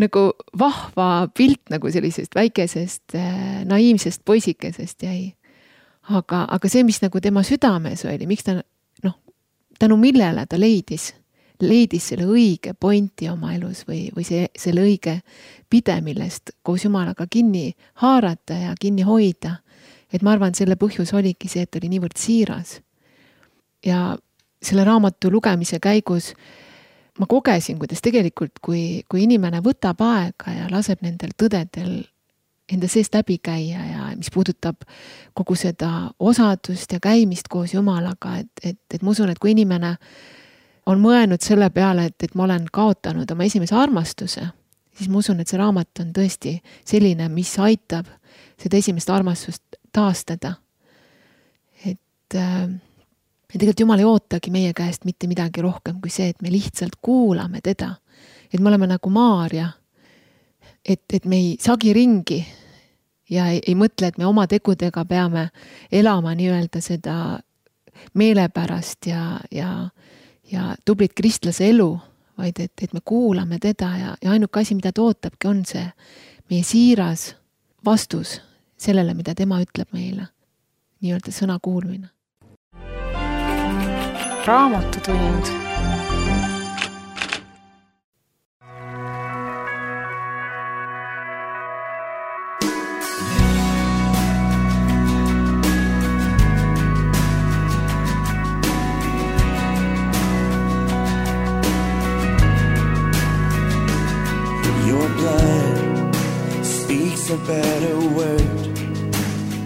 nagu vahva pilt nagu sellisest väikesest naiivsest poisikesest jäi. Aga, aga see, mis nagu tema südames oli, miks ta noh, tänu millele ta leidis leidis selle õige pointi oma elus või, või see, selle õige pide, millest koos Jumalaga kinni haarata ja kinni hoida. Et ma arvan, selle põhjus oligi see, et oli niivõrd siiras. Ja selle raamatu lugemise käigus ma kogesin, kuidas tegelikult, kui, kui inimene võtab aega ja laseb nendel tõdedel enda seest läbi käia ja mis puudutab kogu seda osadust ja käimist koos Jumalaga, et, et, et ma usun, et kui inimene on mõelnud selle peale, et, et ma olen kaotanud oma esimese armastuse, siis ma usun, et see raamat on tõesti selline, mis aitab seda esimest armastust taastada. Et, et tegelikult Jumal ei ootagi meie käest mitte midagi rohkem kui see, et me lihtsalt kuulame teda. Et me oleme nagu Maarja, et, et me ei sagi ringi ja ei, ei mõtle, et me oma tegudega peame elama nii-öelda seda meelepärast ja, ja ja tublit kristlase elu, vaid et, et me kuulame teda ja, ja ainuke asi, mida ta ootabki, on see meie siiras vastus sellele, mida tema ütleb meile. Nii-öelda sõna kuulmine. Raamatutund. A better word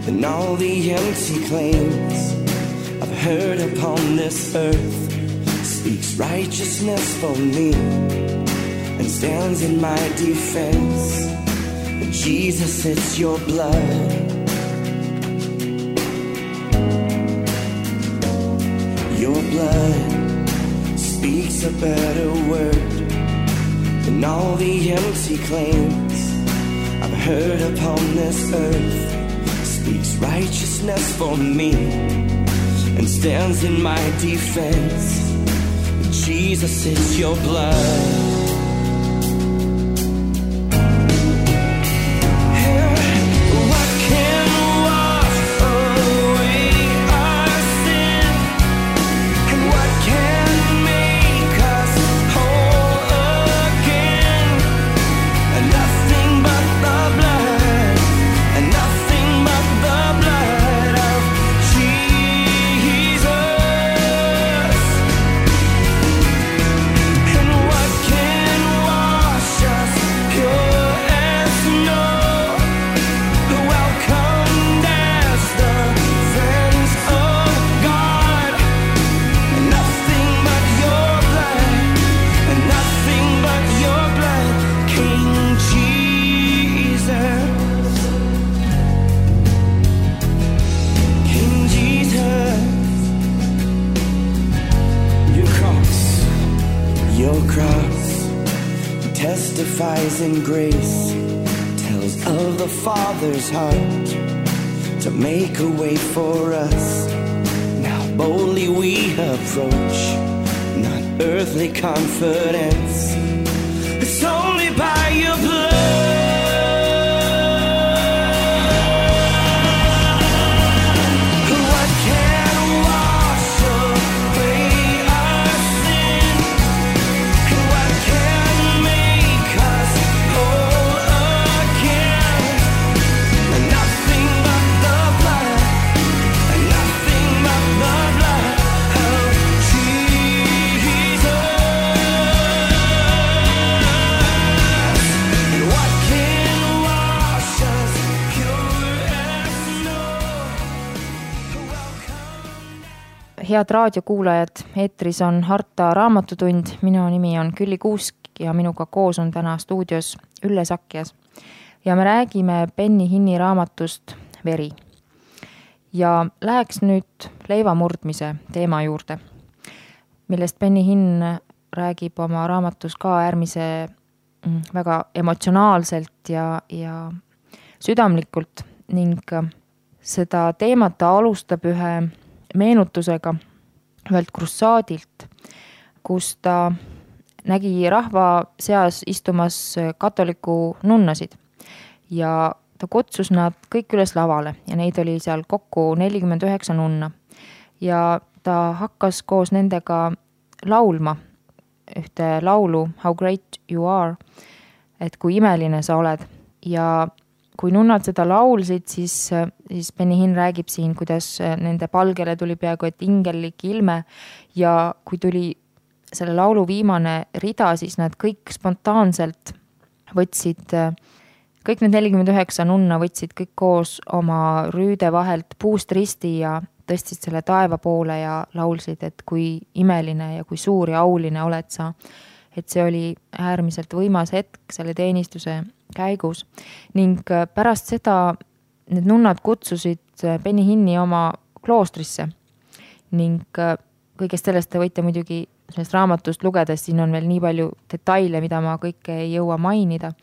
than all the empty claims I've heard upon this earth. Speaks righteousness for me and stands in my defense. And Jesus, it's your blood. Your blood speaks a better word than all the empty claims I've heard upon this earth. Speaks righteousness for me and stands in my defense. Jesus, it's your blood. Nothing testifies in grace, tells of the Father's heart to make a way for us. Now boldly we approach, not earthly confidence, it's only by your blood. Head raadiokuulajad, eetris on Harta raamatutund, minu nimi on Külli Kuusk ja minuga koos on täna stuudios Ülle Sakjas. Ja me räägime Benny Hinni raamatust Veri. Ja läheks nüüd leivamurdmise teema juurde, millest Benny Hinn räägib oma raamatus ka äärmise väga emotsionaalselt ja, ja südamlikult ning seda teemat ta alustab ühe meenutusega ühelt krussaadilt, kus ta nägi rahva seas istumas katoliku nunnasid ja ta kutsus nad kõik üles lavale ja neid oli seal kokku nelikümmend üheksa nunna ja ta hakkas koos nendega laulma ühte laulu How great you are, et kui imeline sa oled ja kui nunnad seda laulsid, siis, siis Benny Hinn räägib siin, kuidas nende palgele tuli peaaegu et ingellik ilme ja kui tuli selle laulu viimane rida, siis nad kõik spontaanselt võtsid, kõik need nelikümmend üheksa nunna võtsid kõik koos oma rüüde vahelt puust risti ja tõstsid selle taeva poole ja laulsid, et kui imeline ja kui suur ja auline oled sa. Et see oli äärmiselt võimas hetk selle teenistuse käigus ning pärast seda need nunnad kutsusid Benny Hinni oma kloostrisse ning kõigest sellest te võite muidugi sellest raamatust lugedes, siin on veel nii palju detaile, mida ma kõike ei jõua mainida,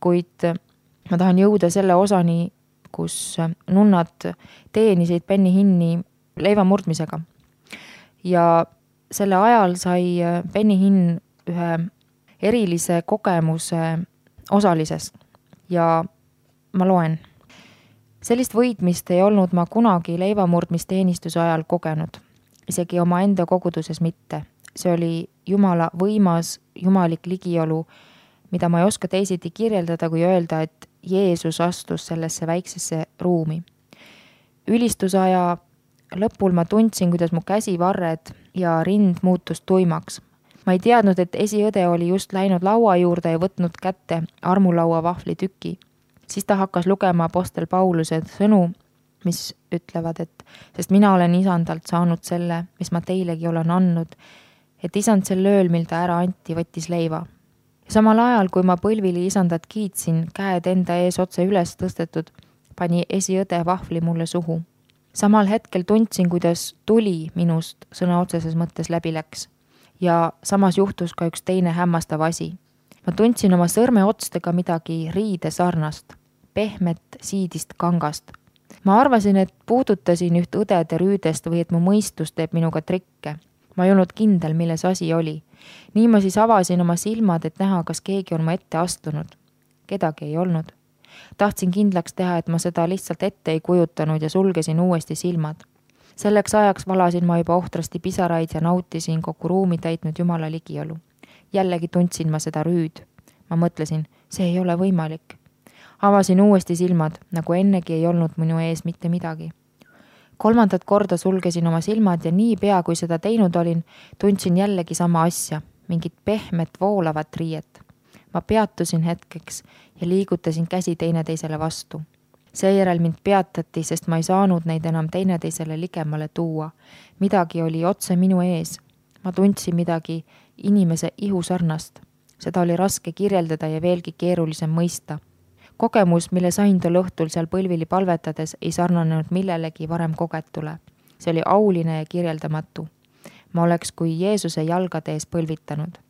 kuid ma tahan jõuda selle osani, kus nunnad teenisid Benny Hinni leivamurdmisega ja selle ajal sai Benny Hinn ühe erilise kogemuse osalisest ja ma loen. Sellist võitmist ei olnud ma kunagi leivamurdmisteenistuse ajal kogenud, isegi oma enda koguduses mitte. See oli Jumala võimas, jumalik ligiolu, mida ma ei oska teisiti kirjeldada, kui öelda, et Jeesus astus sellesse väiksesse ruumi. Ülistusaja lõpul ma tundsin, kuidas mu käsivarred ja rind muutus tuimaks. Ma ei teadnud, et esiõde oli just läinud laua juurde ja võtnud kätte armulaua vahvli tüki. Siis ta hakkas lugema apostel Pauluse sõnu, mis ütlevad, et sest mina olen isandalt saanud selle, mis ma teilegi olen andnud, et isand sel ööl, mil ta ära anti, võttis leiva. Ja samal ajal, kui ma põlvili isandat kiitsin, käed enda ees otse üles tõstetud, pani esiõde vahvli mulle suhu. Samal hetkel tundsin, kuidas tuli minust sõna otseses mõttes läbi läks. Ja samas juhtus ka üks teine hämmastav asi. Ma tundsin oma sõrme otstega midagi riide sarnast, pehmet siidist kangast. Ma arvasin, et puudutasin üht õdede rüüdest või et mu mõistus teeb minuga trikke. Ma ei olnud kindel, milles asi oli. Nii ma siis avasin oma silmad, et näha, kas keegi on ma ette astunud. Kedagi ei olnud. Tahtsin kindlaks teha, et ma seda lihtsalt ette ei kujutanud ja sulgesin uuesti silmad. Selleks ajaks valasin ma juba ohtrasti pisaraid ja nautisin kogu ruumi täitnud Jumala ligiolu. Jällegi tundsin ma seda rüüd. Ma mõtlesin, see ei ole võimalik. Avasin uuesti silmad, nagu ennegi ei olnud minu ees mitte midagi. Kolmandat korda sulgesin oma silmad ja nii pea, kui seda teinud olin, tundsin jällegi sama asja, mingit pehmet voolavat riiet. Ma peatusin hetkeks ja liigutasin käsi teineteisele vastu. Seejärel mind peatati, sest ma ei saanud neid enam teineteisele ligemale tuua. Midagi oli otse minu ees. Ma tundsin midagi inimese ihu sarnast. Seda oli raske kirjeldada ja veelgi keerulisem mõista. Kogemus, mille sain tol õhtul seal põlvili palvetades, ei sarnanenud millelegi varem kogetule. See oli auline ja kirjeldamatu. Ma oleks kui Jeesuse jalgade ees põlvitanud.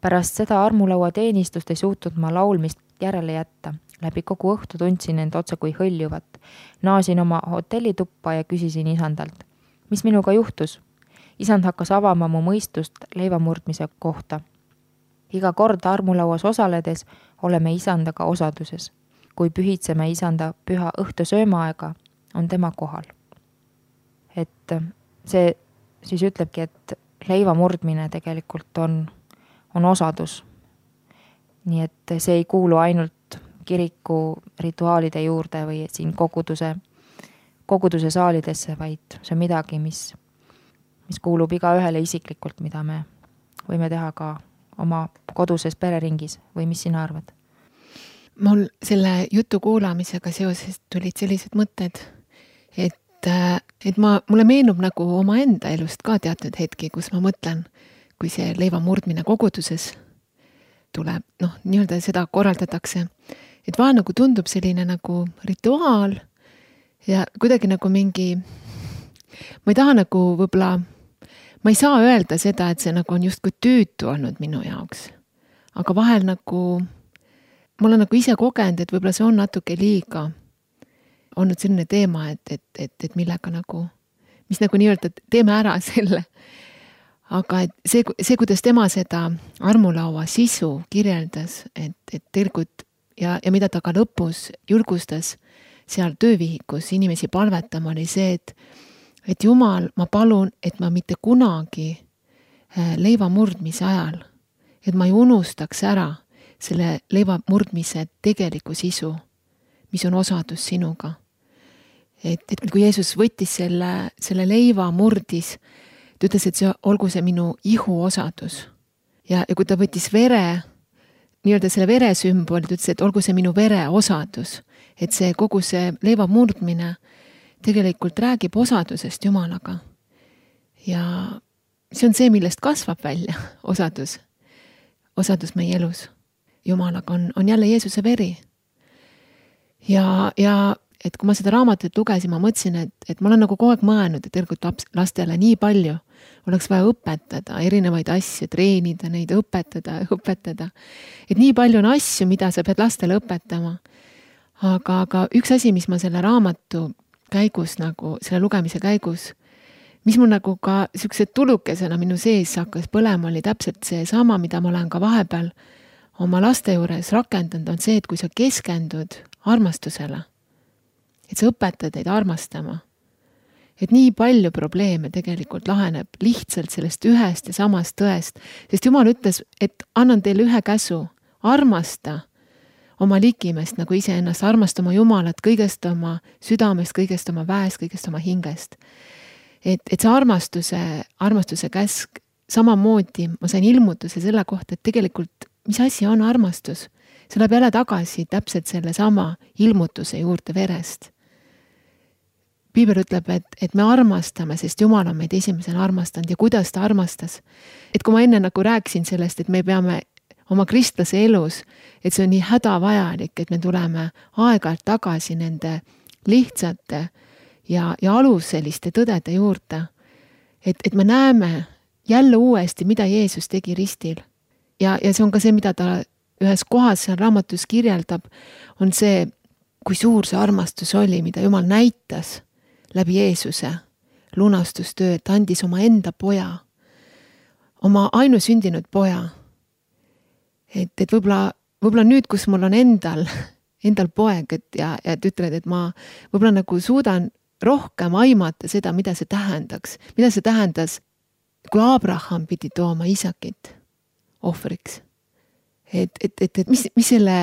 pärast seda armulaua teenistust ei suutnud ma laulmist järele jätta. Läbi kogu õhtu tundsin end otse kui hõljuvat. Naasin oma hotellituppa ja küsisin isandalt. Mis minuga juhtus? Isand hakkas avama mu mõistust leivamurdmise kohta. Iga kord armulauas osaledes oleme isandaga osaduses. Kui pühitseme isanda püha õhtu söömaaega, on tema kohal. Et see siis ütlebki, et leivamurdmine tegelikult on, on osadus. Nii et see ei kuulu ainult kiriku rituaalide juurde või siin koguduse, koguduse saalidesse, vaid see on midagi, mis, mis kuulub iga ühele isiklikult, mida me võime teha ka oma koduses pereringis või mis sina arvad? Mul selle jutu kuulamisega seoses tulid sellised mõtted, et, et ma, mulle meenub nagu oma enda elust ka teatud hetki, kus ma mõtlen, kui see leivamurdmine koguduses tuleb, noh, nii-öelda seda korraldatakse, et vaan nagu tundub selline nagu rituaal ja kuidagi nagu mingi, ma ei taha nagu võib-olla, ma ei saa öelda seda, et see nagu on justkui tüütu olnud minu jaoks, aga vahel nagu, ma olen nagu ise kogenud, et võib-olla see on natuke liiga olnud selline teema, et, et, et, et millega nagu, mis nagu nii-öelda teeme ära selle. Aga et see, see, kuidas tema seda armulaua sisu kirjeldas, et, et tegelikult ja, ja mida ta ka lõpus julgustas seal töövihikus inimesi palvetama, oli see, et, et Jumal, ma palun, et ma mitte kunagi leivamurdmise ajal, et ma ei unustaks ära selle leivamurdmise tegeliku sisu, mis on osadus sinuga. Et, et kui Jeesus võttis selle, selle leiva murdis, ta ütles, et see, olgu see minu ihu osadus. Ja, ja kui ta võttis vere, nii-öelda selle vere sümbol, ta ütles, et olgu see minu vere osadus. Et see kogu see leiva murdmine tegelikult räägib osadusest Jumalaga. Ja see on see, millest kasvab välja osadus. Osadus meie elus. Jumalaga on, on jälle Jeesuse veri. Ja, ja et kui ma seda raamatut lugesin, ma mõtlesin, et, et ma olen nagu kogu aeg mõelnud, et tegelikult lastele nii palju oleks vaja õpetada, erinevaid asju, treenida neid, õpetada, õpetada. Et nii palju on asju, mida sa pead lastele õpetama. Aga, aga üks asi, mis ma selle raamatu käigus, nagu selle lugemise käigus, mis mul nagu ka siuksed tulukesena minu sees hakkas põlema, oli täpselt see sama, mida ma olen ka vahepeal oma laste juures rakendanud, on see, et kui sa keskendud armastusele, et sa õpetad neid armastama. Et nii palju probleeme tegelikult laheneb lihtsalt sellest ühest ja samast tõest, sest Jumal ütles, et annan teile ühe käsu, armasta oma ligimest nagu iseennast, armasta oma Jumalat kõigest oma südamest, kõigest oma väest, kõigest oma hingest. Et, et see armastuse, armastuse käsk samamoodi, ma sain ilmutuse selle kohta, et tegelikult mis asi on armastus? See läheb jälle tagasi täpselt selle sama ilmutuse juurde verest. Piibel ütleb, et, et me armastame, sest Jumal on meid esimesena armastanud ja kuidas ta armastas. Et kui ma enne nagu rääkisin sellest, et me peame oma kristlase elus, et see on nii hädavajalik, et me tuleme aeg-ajalt tagasi nende lihtsate ja, ja aluseliste tõdede juurde. Et, et me näeme jälle uuesti, mida Jeesus tegi ristil. Ja, ja see on ka see, mida ta ühes kohas seal raamatus kirjeldab, on see, kui suur see armastus oli, mida Jumal näitas läbi Jeesuse lunastustöö, et andis oma enda poja, oma ainusündinud poja. Et, et võib-olla, võib-olla nüüd, kus mul on endal, endal poeg, et, ja, ja et ütled, et ma võib-olla nagu suudan rohkem aimata seda, mida see tähendaks. Mida see tähendas, kui Abraham pidi tooma Isakit ohvriks. Et, et, et, et mis, mis selle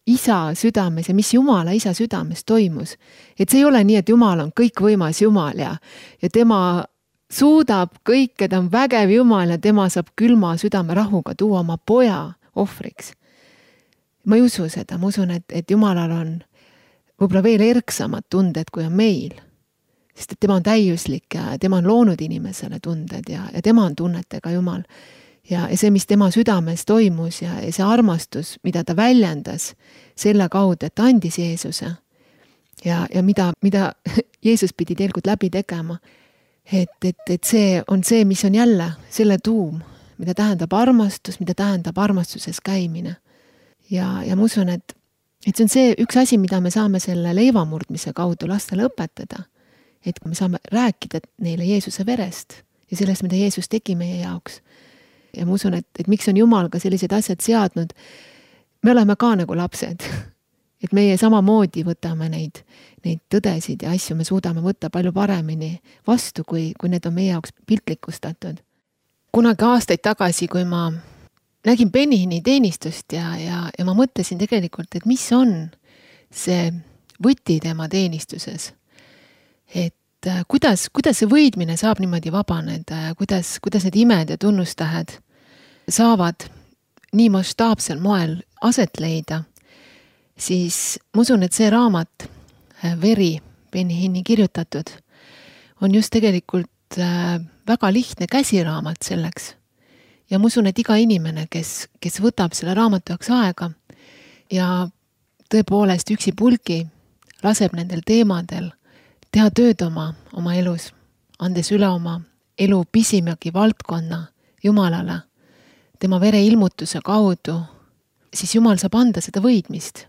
isa südames ja mis Jumala isa südames toimus. Et see ei ole nii, et Jumal on kõikvõimas Jumal ja, ja tema suudab kõike, ta on vägev Jumal ja tema saab külma südame rahuga tuua oma poja ohvriks. Ma ei usu seda, ma usun, et, et Jumalal on võib-olla veel erksamad tunded, kui on meil. Sest et tema on täiuslik ja tema on loonud inimesele tunded ja, ja tema on tunnetega Jumal. Ja see, mis tema südames toimus ja see armastus, mida ta väljendas selle kaudu, et ta andis Jeesuse ja, ja mida, mida Jeesus pidi tegelikult läbi tegema. Et, et, et see on see, mis on jälle selle tuum, mida tähendab armastus, mida tähendab armastuses käimine. Ja, ja ma usun, et, et see on see üks asi, mida me saame selle leivamurdmise kaudu lastele õpetada. Et me saame rääkida neile Jeesuse verest ja sellest, mida Jeesus tegi meie jaoks. Ja ma usun, et, et miks on Jumal ka sellised asjad seadnud. Me oleme ka nagu lapsed. Et meie samamoodi võtame neid, neid tõdesid ja asju me suudame võtta palju paremini vastu, kui, kui need on meie jaoks piltlikustatud. Kunagi aastaid tagasi, kui ma nägin Benihini teenistust ja, ja, ja ma mõtlesin tegelikult, et mis on see võti tema teenistuses. Et kuidas, kuidas see võidmine saab niimoodi vabaneda, kuidas, kuidas need imed ja tunnustähed saavad nii mastaapsel moel aset leida, siis ma usun, et see raamat, Veri, Benihini kirjutatud, on just tegelikult väga lihtne käsiraamat selleks. Ja ma usun, et iga inimene, kes, kes võtab selle raamatu jaoks aega ja tõepoolest üksi pulgi laseb nendel teemadel teha tööd oma, oma elus, andes üle oma elu pisimagi valdkonna Jumalale, tema vere ilmutuse kaudu, siis Jumal saab anda seda võidmist.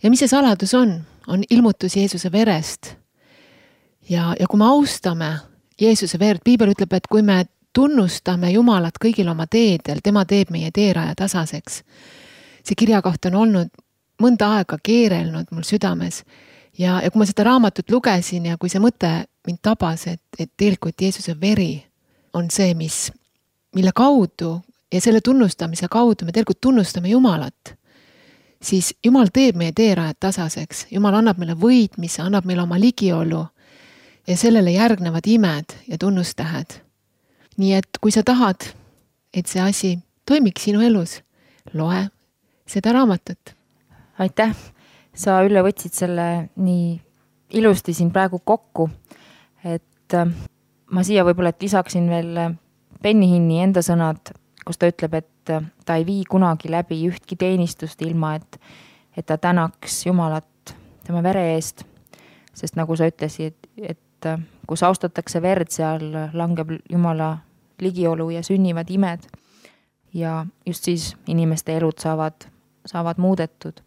Ja mis see saladus on? On ilmutus Jeesuse verest. Ja, ja kui me austame Jeesuse verd, Piibel ütleb, et kui me tunnustame Jumalat kõigil oma teedel, tema teeb meie teeraja tasaseks. See kirjakoht on olnud mõnda aega keerelnud mul südames. Ja, ja kui ma seda raamatut lugesin ja kui see mõte mind tabas, et, et tegelikult Jeesuse veri on see, mis, mille kaudu ja selle tunnustamise kaudu me tegelikult tunnustame Jumalat, siis Jumal teeb meie teerajad tasaseks. Jumal annab meile võitmise, annab meile oma ligiolu ja sellele järgnevad imed ja tunnustähed. Nii et kui sa tahad, et see asi toimiks sinu elus, loe seda raamatut. Aitäh! Sa üle võtsid selle nii ilusti siin praegu kokku, et ma siia võib-olla et lisaksin veel Benihini enda sõnad, kus ta ütleb, et ta ei vii kunagi läbi ühtki teenistust ilma, et, et ta tänaks Jumalat tema vere eest, sest nagu sa ütlesid, et, et kus austatakse verd, seal langeb Jumala ligiolu ja sünnivad imed ja just siis inimeste elud saavad, saavad muudetud.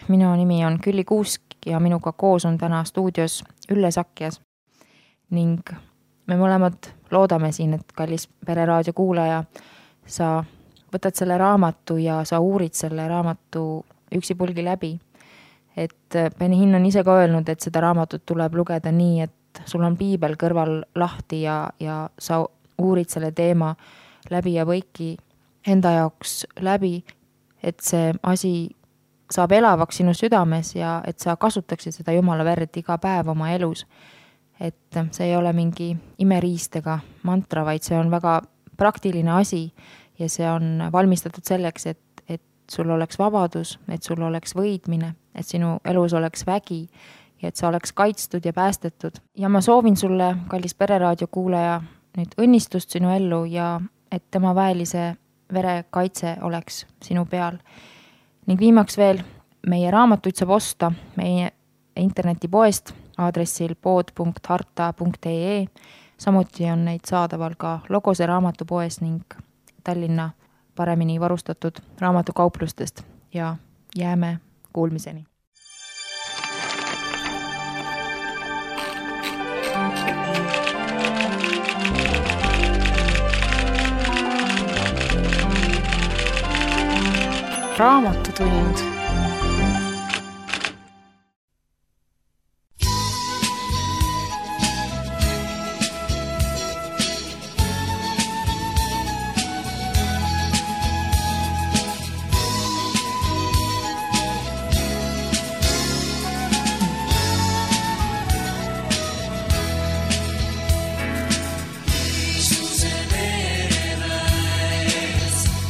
Minu nimi on Külli Kuusk ja minuga koos on täna stuudios Ülle Sakjas ning me mõlemad loodame siin, et kallis Pereraadio kuulaja, sa võtad selle raamatu ja sa uurid selle raamatu üksipulgi läbi. Et Benihin on ise ka öelnud, et seda raamatut tuleb lugeda nii, et sul on piibel kõrval lahti ja, ja sa uurid selle teema läbi ja võiki enda jaoks läbi, et see asi saab elavaks sinu südames ja et sa kasutaksid seda Jumala verd iga päev oma elus. Et see ei ole mingi imeriist ega mantra, vaid see on väga praktiline asi ja see on valmistatud selleks, et, et sul oleks vabadus, et sul oleks võidmine, et sinu elus oleks vägi ja et sa oleks kaitstud ja päästetud. Ja ma soovin sulle, kallis Pereraadio kuulaja, nüüd õnnistust sinu ellu ja et tema väelise vere kaitse oleks sinu peal. Ning viimaks veel, meie raamatuid saab osta meie internetipoest aadressil pood punkt harta punkt ee. Samuti on neid saadaval ka Logose raamatupoes ning Tallinna paremini varustatud raamatukauplustest ja jääme kuulmiseni. Raamatutund.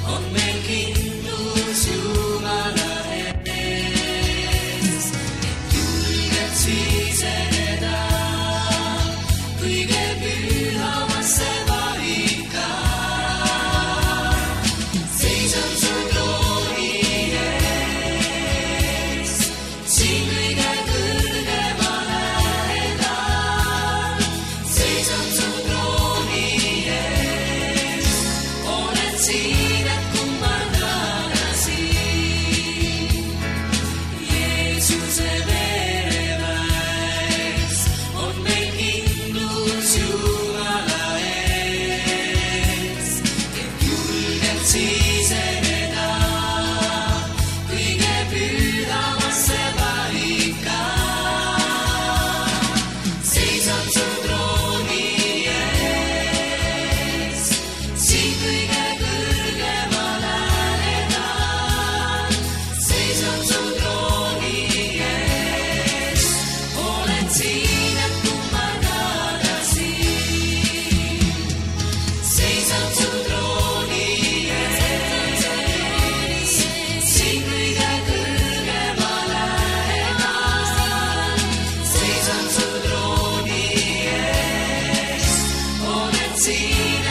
On meil kindlus Jumala seen